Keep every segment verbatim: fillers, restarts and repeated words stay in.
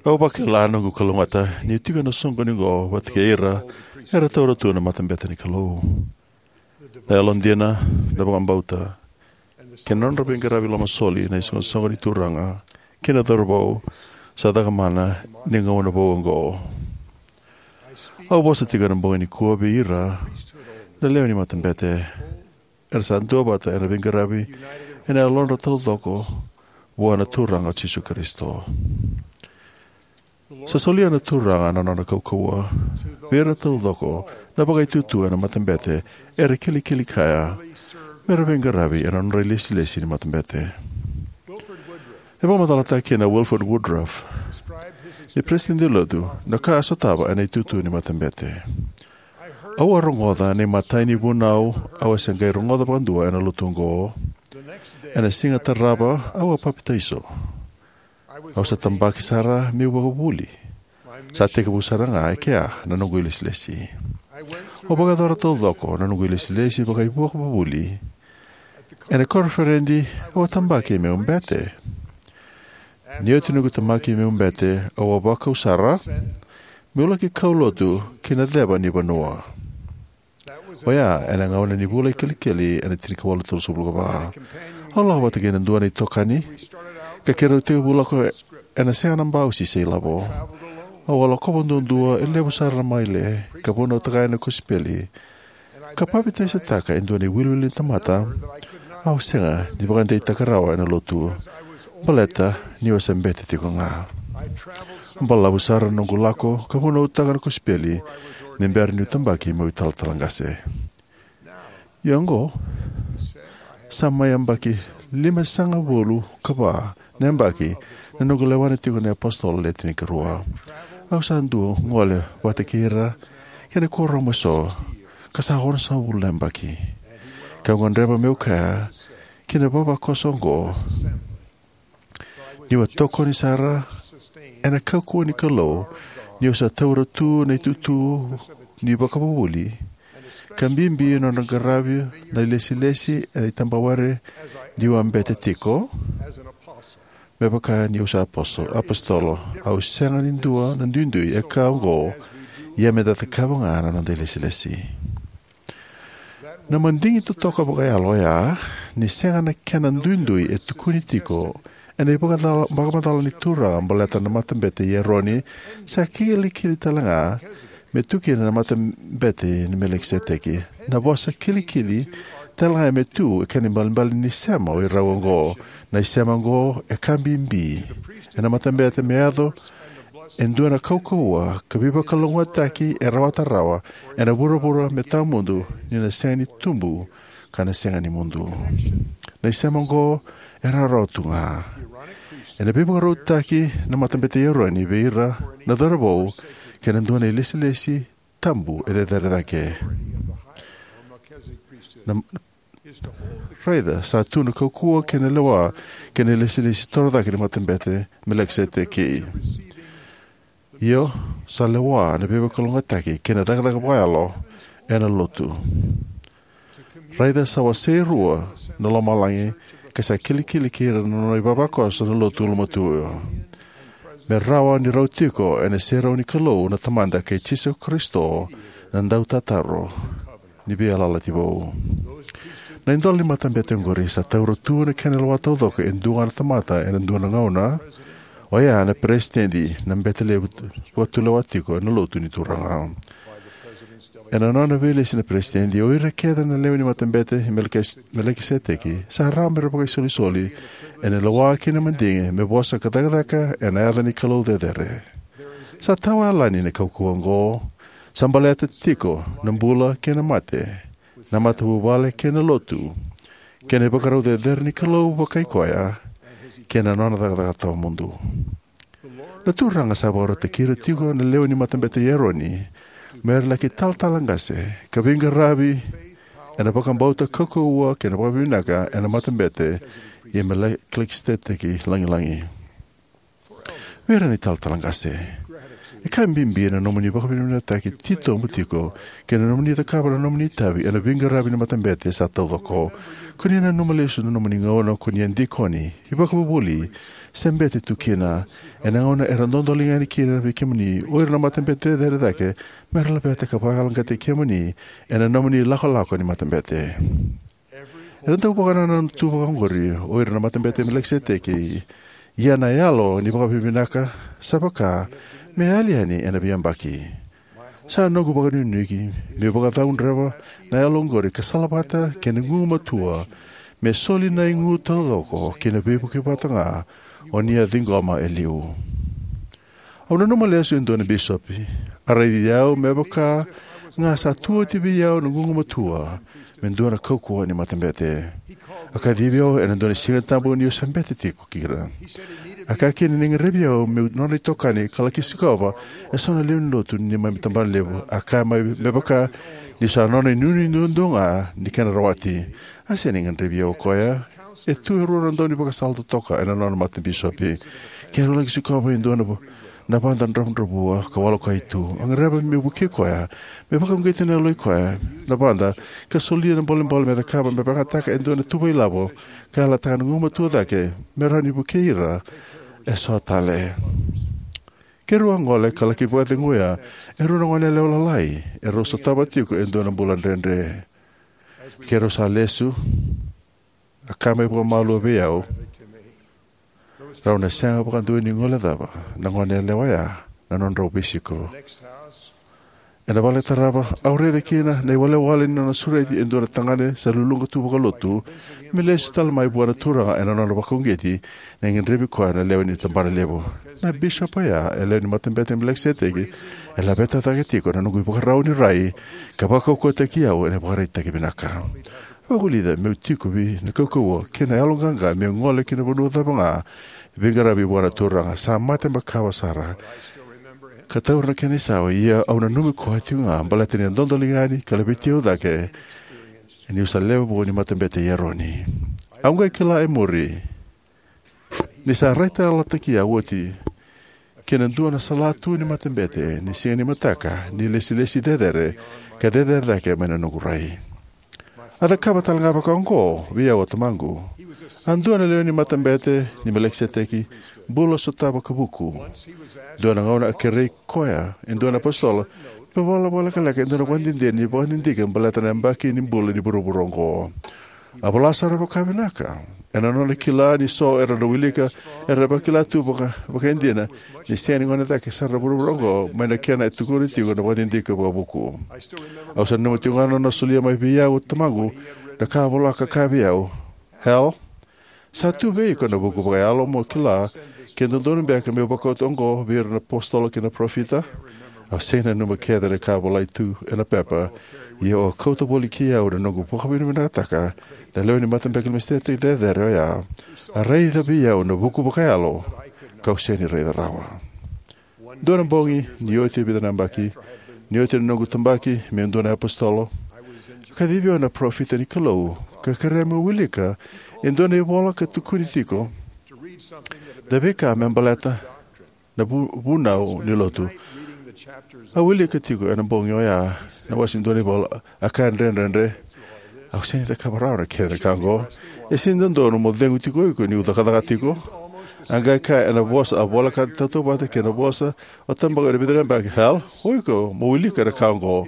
Au vakila noqu kalougata niu tiko ena soqoni oqo vata kei ira era taura tu na matabete ni Kalou. Na yalodina, na vakabauta, kei na nodra veiqaravi lomasoli na isoqosoqo ni turaga kei na cauravou sa cakamana ni gauna vou oqo. Au vosa tiko ena bogi nikua vei ira na lewe ni matabete era sa duavata ena veiqaravi ena yalodra taucoko vua na Turaga o Jisu Karisito. Sa solia na Turaga na nona kaukauwa vei ira taucoko na vakaitutu ena matabete era kilikili kaya mera veiqaravi ena nodra ilesilesi ni matabete. E vakamacalataka kina o Wilford Woodruff, ni Peresitedi ni Lotu, na ka a sotava ena itutu ni matabete. Au a rogoca na imatai ni vunau au a se qai rogoca vakadua ena lotu oqo. Ena siga tarava au a papitaiso. Au sa tabaki sara meu vakavuvuli. Sa tekivu sara ga e kea na noqu ilesilesi. Au vakayacora taucoko na noqu ilesilesi vakaivakavuvuli. Ena koniferedi au a tabaki meu bete. Ni oti noqu tabaki meu bete, au a vakau sara meu laki kaulotu ki na ceva ni vanua. Oya ena gauna ni vula i Kelikeli ena tinikawalu tolusagavulu ka va. Au lako vata kei na dua na itokani ka keirau tekivu lako ena sega na bausi se ilavo. Au a lakova duadua e levu sara na maile ka vunautaka yani na kosipeli ka papitaisotaka e dua na iwiliwili ni tamata au sega ni vakadeitaka rawa ena lotu, baleta niu a se bete tiko ga. Balavu sara na noqu lako ka vunautaka na kosipeli ni bera niu tabaki meu italatala qase. Ia oqo sa mai yabaki limasagavulu ka va na yabaki na noqu lewa tiko na iApositolo Le Tinikarua. Au sa dau gole vata kei ira kei na kuoramu eso ka sa onosagavulu na yabaki. Kau gadreva meu kaya ki na ivavakoso oqo niu a tokoni sara ena kaukauwa ni Kalou, niu sa taura tu na itutu ni vakavuvuli, ka bibi na nodra qaravi na ilesilesi ena itabawere niu a bete tiko. Me vaka niu sa aposo-, apositolo, au sega ni dua na duidui e ka oqo, ia meda cakava ga na noda ilesilesi. Na madigi totoka vakayalo oya, ni sega na kena duidui e tukuni tiko ena ivakacala-, vakamacala ni Turaga baleta na matabete i Eroni, sa kilikili tale ga me tu kina na matabete ni Melikiseteki. Na vosa kilikili tale ga me tu e kena ibalebale ni sema o irau oqo. Na isema oqo e ka bibi ena matabete me yaco e dua na kaukauwa ka veivakalougatataki e rawata rawa ena vuravura me tawamudu, ni na sega ni tubu ka na sega ni mudu. Na isema oqo e rawarawa tu ga. Ena veivakarautaki na matabete i Eroni vei ira na cauravou kei na dua na ilesilesi tabu e cecere cake. Na, raica sa tu na kaukauwa kei na lewa kei na ilesilesi torocake ni matabete Melikiseteki. Io, sa lewa na veivakalougatataki kei na cakacaka vakayalo ena lotu. Raica sa wasei rua na lomalagi ka sa kilikili kei ira na nona ivavakoso na lotu ulumatua. Me rawa ni rau tiko ena iserau ni Kalou na Tamada kei Jisu Karisito na Dautataro ni Veiyalayalati Vou. Na idola ni matabete oqori sa taura tu na kena lewa taucoko e dua ga na tamata ena dua na gauna, oya na peresitedi, na bete levu vakatulewa tiko ena lotu ni Turaga. Ena nona veilesi na peresitedi, o ira kece na lewe ni matabete i Melekis-, Melikiseteki sa rawa mera vakaisolisoli ena lewa kei na madigi me vosa ka cakacaka ena yaca ni Kalou cecere. Sa tawayalani na kaukauwa oqo. Sa baleta tiko na bula kei na mate, na matavuvale kei na lotu, kei na ivakarau cecere ni Kalou vakai koya kei na nona cakacaka tawamudu. Na Turaga sa vakarautaki ira tiko na lewe ni matabete i Eroni mera laki talatala qase ka veiqaravi ena vakabauta, kaukauwa kei na vakavinaka ena matabete i Melikiseteki lagilagi. Vei ira na italatala qase, E ka bibi na nomuni vakavinavinakataki titobu tiko kei na nomuni cakava na nomuni itavi ena veiqaravi ni matabete sa taucoko. Ko ni nanuma lesu na nomuni gauna ko ni a dikoni, ivakavuvuli, se bete tu kina, ena gauna era dodoliga yani kina vei kemuni o ira na matabete cecere cake, me ra laveta ka vakayaloqaqataki kemuni ena nomuni lakolako ni matabete. Era dau vakanananu tu vakaoqori o ira na matabete Melikiseteki, ia na yalo ni vakavinavinaka sa vaka me yali yani ena veiyabaki. Sa noqu vakanuinui meu vakacaudreva na yalo oqori ka salavata kei na gugumatua me soli na igu taucoko ki na veivuke vata ga o ni a ciqoma e liu. Au nanuma lesu e dua na bisopi a raici au me vaka ga sa tu oti vei au na gugumatua me dua na kaukauwa ni matabete. A kacivi au ena dua na Sigatabu niu se bete tiko kina. A kaya kina ni gadrevi au meu nona itokani ka laki sikova eso na lewe ni lotu ni neimami tabanalevu. A kaya mai me vaka niu sa nona inuinui duadua ga ni kena rawati. A sega ni gadrevi au o koya. E tu e rua na daunivakasala totoka ena nona matabisopi. Keirau laki sikova e dua na, na vada dravudravua ka walokai tu. A gadreva meu vukei koya me vakauqeti na yaloi koya na vada ka solia na bolebole me cakava me vakayagataka e dua na tuvailavo ka yalataka na gugumatua cake me rawa ni vukei ira eso tale. Keirau a gole ka laki vakaceguya e rua na goneyalewa lalai erau sotava tiko e dua na bula dredre. Keirau sa lesu, a kaya mai vakamalua vei au, rau na sega vakadua ni guilecava na goneyalewa oya na nodrau veisiko. Ena vale tarava au raica kina na iwalewale ni nona sureti e dua na tagane sa luluqa tu vakalotu me lesu tale mai vua na Turaga ena nona vakauqeti ni gadrevi koya na lewe ni tabanalevu. Na bisopi oya e lewe ni matabete Melikiseteki e laveta cake tiko na noqu ivakarau ni rai ka vakaukauwataki au ena ivakaraitaki vinaka. Vakavulica meu tiko vei na kaukauwa kei na yaloqaqa meu gole ki na vanua cava ga e veiqaravi vua na Turaga. Sa mate makawa sara ka taura na kena isau, ia au nanumi koya tiko ga baleta ni a dodoliga yani ka laveti au cake niu sa lewe vou ni matabete i Eroni. Au qai kila e muri ni sa raitayalotaki au oti ki na dua na salatu ni matabete ni siga ni mataka ni lesilesi cecere ka cecere cake mai na noqu rai. A cakava tale ga vaka oqo vei au o tamaqu. A dua na lewe ni matabete ni Melikiseteki, bula sotava ka vuku. Dua na gauna a kerei koya e dua na apositolo me vola vakalekaleka e dua na vakadidike ni vakadidike baleta na yabaki ni bula ni vuravura oqo. A vola sara vakavinaka. Ena nona kila ni so era na wilika era vakila tu vaka, vakaidina ni sega ni gone cake sara na vuravura oqo mai na kena e tukuni tiko na vakadidike vakavuku. Au sa nanuma tiko ga na nona solia mai vei au o tamaqu na ka a vola ka kaya vei au, Hal, sa tu vei iko na vuku vakayalo mo kila ke dodonu beka meu vakauta oqo vei ira na apositolo kei na parofita. Au sega ni nanuma kece na ka a volai tu ena pepa, ia au a kauta voli kei au na noqu vakavinavinakataka na lewe ni matabete Melikiseteki cecere oya. A raica vei au na vuku vakayalo kau sega ni raica rawa. Dua na bogi, ni oti e vica na yabaki, ni oti na noqu tabaki meu dua na apositolo, a kacivi au na parofita ni Kalou ka kerea meu wilika e dua na ivola ka tukuni tiko na veika me baleta na vu, vunau ni lotu. Au wilika tiko ena bogi oya na wase dua na ivola, a kaya dredredre, au sega ni cakava rawa na kena ka oqo. E sega ni dodonu mo cegu tiko o iko niu cakacaka tiko. A qai kaya ena vosa a voleka tautauvata kei na vosa o tabaqu ena vica na yabaki, Hal, o iko mo wilika na ka oqo.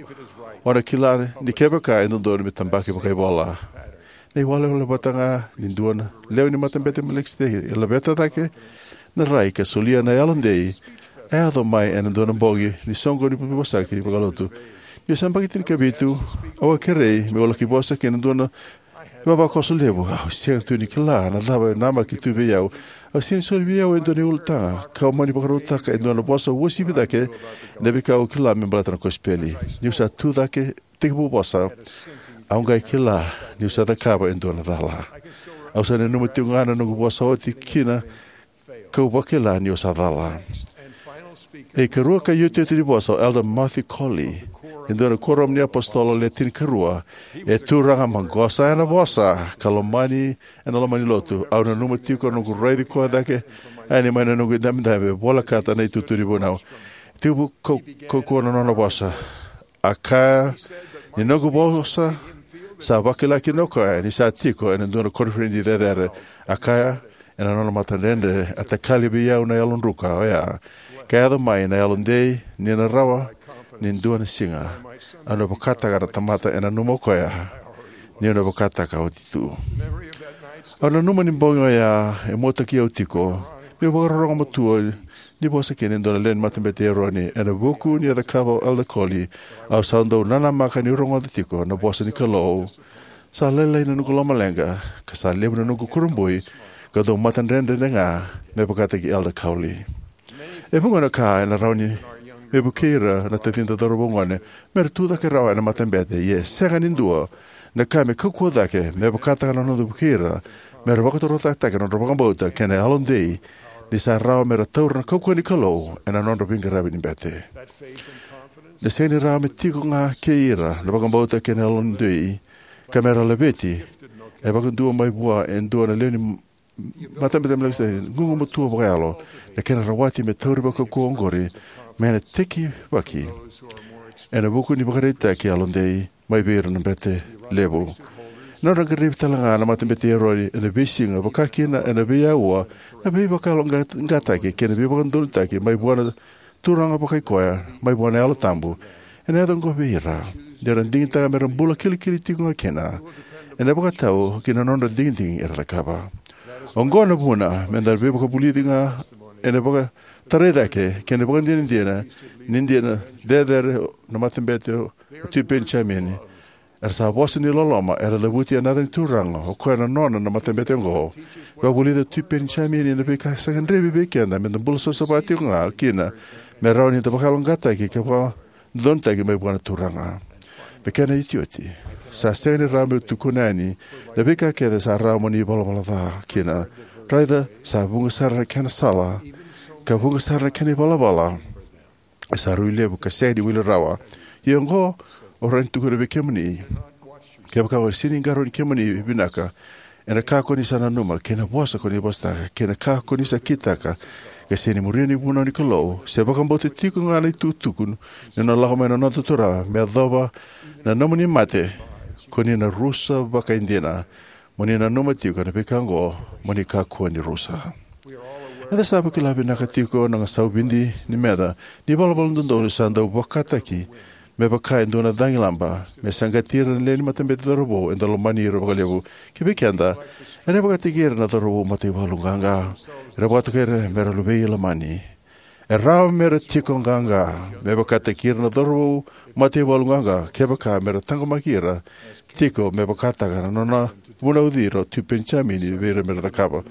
O na kila ni kevaka e dodonu me tabaki vakaivola. Na iwalewale vata ga ni dua na lewe ni matabete Melikiseteki e laveta cake na rai ka solia na yalodei a yaco mai ena dua na bogi ni soqoni ni veivosaki vakalotu. Niu se yabaki tinikavitu, au a kerei meu laki vosa kei na dua na ivavakoso levu. Au sega tu ni kila na cava e namaki tu vei au. Au sega ni soli vei au e dua na ulutaga kau mani vakarautaka e dua na vosa uasivi cake na veika au kila me baleta na kosipeli. Niu sa tu cake tekivu vosa, au qai kila niu sa cakava e dua na cala. Au sa nanuma tiko ga na noqu vosa oti kina kau vakila niu sa cala. E ikarua ka iotioti ni vosa o Elder Matthew Cowley, e dua na kuoramu ni apositolo le tinikarua, e turaga maqosa ena vosa ka lomani ena loma ni lotu. Au nanuma tiko na noqu raici koya cake yani mai na noqu idabedabe, volekata na itutu ni vunau. tekivu kau- kaukauwa na nona vosa. A kaya ni noqu vosa sa vakila kina o koya ni sa tiko ena dua na koniferedi cecere. A kaya ena nona matadredre, a takali vei au na yalo druka oya ka yaco mai na yalodei, ni na rawa ni dua na siga au na vakataka na tamata e nanuma o koya niu na vakataka oti tu. Au nanuma ni bogi oya e muataki au tiko meu vakarorogo matua ni vosa kina e dua na lewe ni Matabete i Eroni. Ena vuku ni a cakava o Elder Cowley, au sa dau nanamaka niu rogoca tiko na vosa ni Kalou. Sa lailai na noqu lomaleqa ka sa levu na noqu kurabui, kau dau matadredre ga me vakataki Elder Cowley. E vuqa na ka ena rawa ni me vukei ira na tacida cauravou gone mera tucake rawa ena matabete, ia e sega ni dua na ka me kaukauwa cake me vakataka na noda vukei ira mera vakatorocaketaka na nodra vakabauta kei na yalodei, ni sa rawa mera taura na kaukauwa ni Kalou ena nodra veiqaravi ni bete. Na sega ni rawa me tiko ga kei ira na vakabauta kei na yalodei ka mera laveti e vakadua mai vua e dua na lewe ni Matabete i Melikiseteki, gugumatua vakayalo na kena rawati me tauri vakaukauwa oqori me na tekivaki ena vuku ni ivakaraitaki yalodei mai vei ira na bete levu. Ena nodra qaravi talega na Matabete i Eroni ena veisiga, vaka kina ena veiauwa, na veivakayaloqaqataki kei na veivakadodonutaki mai vua na Turaga vakaikoya, mai vua na Yalo Tabu, ena yaco oqo vei ira ni ra digitaka mera bula kilikili tiko ga kina ena vakatau ki na nodra digidigi era cakava. Oqo na vuna meda veivakavulici ga ena vakatarai cake kei na vakadinadina ni dina cecere na Matabete o Tui Penijamini. Era sa vosa ni loloma, era cavuti ena yaca ni Turaga, o koya na nona na matabete oqo. Vakavulica o Tui Penijamini na veika sa gadrevi vei keda meda bula savasava tiko ga kina, me rawa ni da vakayaloqaqataki ka vakadodonutaki mai vua na Turaga. Me kena iotioti, sa sega ni rawa meu tukuna yani na veika kece sa rawa mo ni valavala ca kina. Raica sa vuqa sara na kena sala, ka vuqa sara na kena ivalavala e sa rui levu ka sega ni wili rawa. Ia oqo au rawa ni tukuna vei kemuni, kevaka o sega ni qarauni kemuni vinaka ena ka ko ni sa nanuma, kei na vosa ko ni vosataka, kei na ka ko ni sa kitaka, ka sega ni muria na ivunau ni Kalou, se vakabauta tiko ga na itukutuku ni nona lako mai na noda Turaga me yacova na nomuni mate, ko ni na rusa vakaidina. Mo ni nanuma tiko na veika oqo, mo ni kakua ni rusa. Eda sa vakila vinaka tiko na gasau vidi ni meca ni valavala dodonu sa dau vakataki me vaka e dua na cagilaba me saqati ira na lewe ni matabete cauravou eda lomani ira vakalevu. Ki vei keda, era vakataki ira na cauravou mataivalu qaqa. Era vakatokai ira mera luvei Ilamani. E rawa mera tiko qaqa me vakataki ira na cauravou mataivalu qaqa kevaka mera taqomaki ira tiko me vakataka na nona vunauci ira o Tui Penijamini vei ira mera cakava.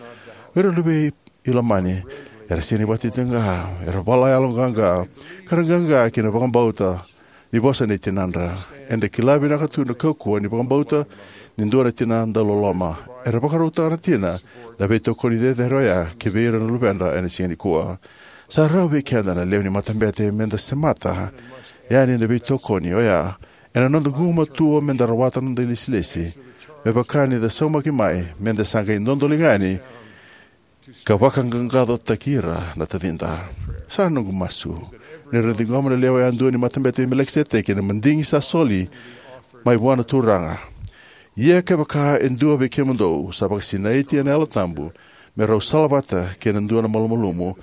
O ira luvei Ilamani era sega ni vakatitiqa, era vala yaloqaqa, ka ra qaqa ki na vakabauta ni vosa nei tinadra. Eda kila vinaka tu na kaukauwa ni vakabauta ni dua na tina dauloloma. Era vakarautaka na tina na veitokoni cecere oya ki vei ira na luvedra ena siga nikua. Sa rawa vei keda na lewe ni matabete meda semata yani na veitokoni oya ena noda gugumatua meda rawata na noda ilesilesi, me vaka ni da saumaki mai meda sa qai dodoliga yani ka vakaqaqacotaki ira na tacida. Sa noqu masu ni ra ciqoma na lewe yadua ni Matabete i Melikiseteki na madigi sa soli mai vua na Turaga. Ia kevaka e dua vei kemudou sa vakasinaiti ena Yalo Tabu, me rau salavata kei na dua na malumalumu,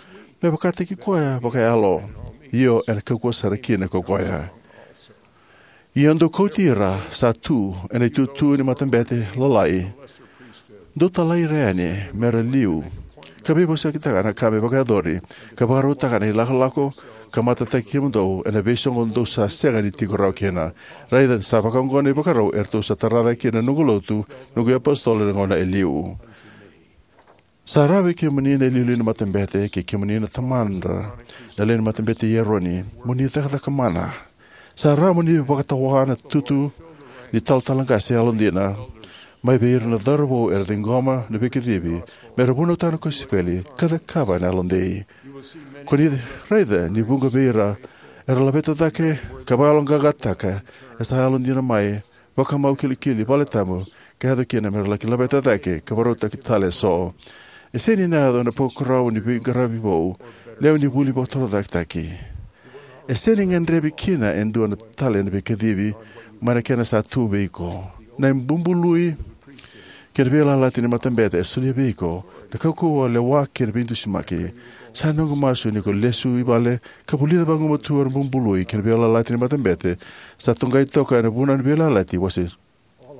me vakataki koya vakayalo, io, ena kaukauwa sara kina ko koya. Ia dou kauti ira sa tu ena itutu ni matabete lalai, dou talai ira yani mera liu, ka veivosakitaka na ka me vakayacori, ka vakarautaka na ilakolako ka matataki kemudou ena veisoqo dou sa sega ni tiko rawa kina. Raica sa vakaoqo na ivakarau eratou sa tara cake kina na noqu lotu, noqu iapositolo ena gauna e liu. Sa rawa vei kemuni na iliuliu ni matabete, kei kemuni na tamadra na lewe ni Matabete i Eroni, mo ni cakacaka mana. Sa rawa mo ni vakatawa na tutu ni talatala qase yalodina mai vei ira na cauravou era ciqoma na veikacivi mera vunautaka na kosipeli ka cakava ena yalodei. Ko ni raica ni vuqa vei ira era laveta cake ka vakayaloqaqataka e sa yalodina mai, vakamau kilikili, valetabu, ka yaco kina mera laki laveta cake ka vakarautaki tale eso. E sega ni na yaco ena ivakarau ni veiqaravi vou, lewe ni vuli vakatorocaketaki. E sega ni gadrevi kina e dua tale na veikacivi mai na kena sa tu vei iko. Na ibubului kei na veiyalayalati ni matabete e solia vei iko na kaukauwa, lewa kei na veidusimaki. Sa noqu masu ni ko lesu i vale ka vulica vagumatua na bubului kei na veiyalayalati ni matabete sa toqai toka ena Vunau ni Veiyalayalati wase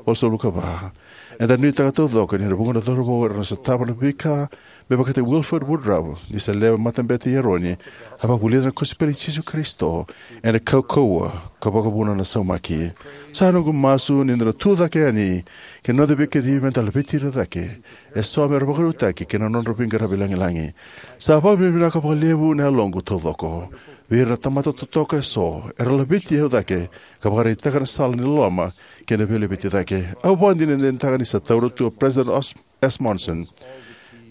walusagavulu ka va. Eda nuitaka taucoko ni na vuqa na cauravou era na sotava na veika me vakataki Wilford Woodruff ni se lewe ni Matabete i Eroni, a vakavulica na kosipeli i Jisu Karisito ena kaukauwa ka vakavuna na saumaki. Sa noqu masu ni da na tu cake yani ki na noda veikacivi me da laveti ira cake eso me ra vakarautaki ki na nodra veiqaravi lagilagi. Sa vakavinavinaka vakalevu na yaloqu taucoko vei ira na tamata totoka eso era laveti au cake ka vakaraitaka na sala ni loloma kei na veilaveti cake. Au vakadinadinataka ni sa taura tu o President Os- S. Monson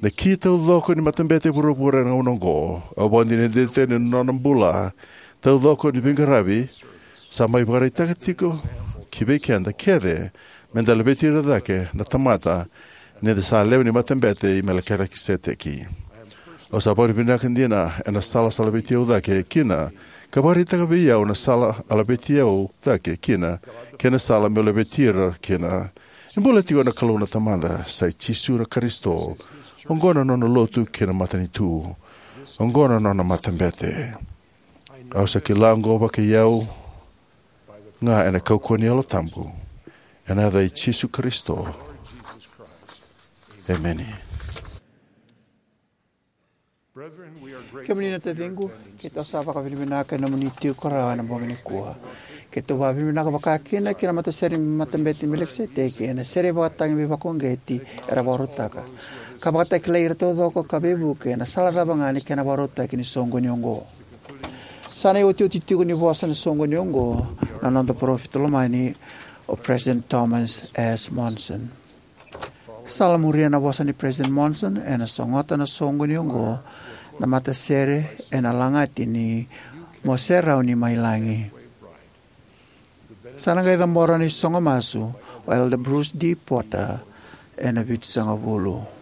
na ki taucoko ni matabete e vuravura ena gauna oqo. Au vakadinadinataka ni nona bula taucoko ni veiqaravi sa mai vakaraitaka tiko ki vei keda kece me da laveti ira cake na tamata ni da sa lewe ni Matabete i Melikiseteki. Au sa vakavinavinaka dina ena sala sa laveti au cake kina ka vakaraitaka vei au na sala a laveti au cake kina kei na sala meu laveti ira kina. E bula tiko na Kalou na Tamada, sa i Jisu na Karisito. Oqo na nona lotu kei na matanitu. Oqo na nona matabete. Au sa kila oqo vakai au ga ena kaukauwa ni Yalo Tabu, ena yaca i Jisu Karisito. Emeni. Kemuni na taciqu, keitou sa vakavinavinaka ena nomuni tiko rawa ena bogi nikua. Keitou vakavinavinaka vakakina ki na matasere ni Matabete i Melikiseteki ena sere vakatagi veivakauqeti era vakarautaka, ka vakatakilai ira taucoko ka veivuke ena sala cava ga ni kena vakarautaki ni soqoni oqo. Sa na iotioti tiko ni vosa ni soqoni oqo na noda parofita lomani, o President Thomas S. Monson. Sa la muria na vosa ni President Monson, ena sogota na soqoni oqo na matasere ena lagati ni Mo Serauni Mai Lagi. Sa na qai cabora na isogo masu o Elder Bruce D. Porter ena vitusagavulu.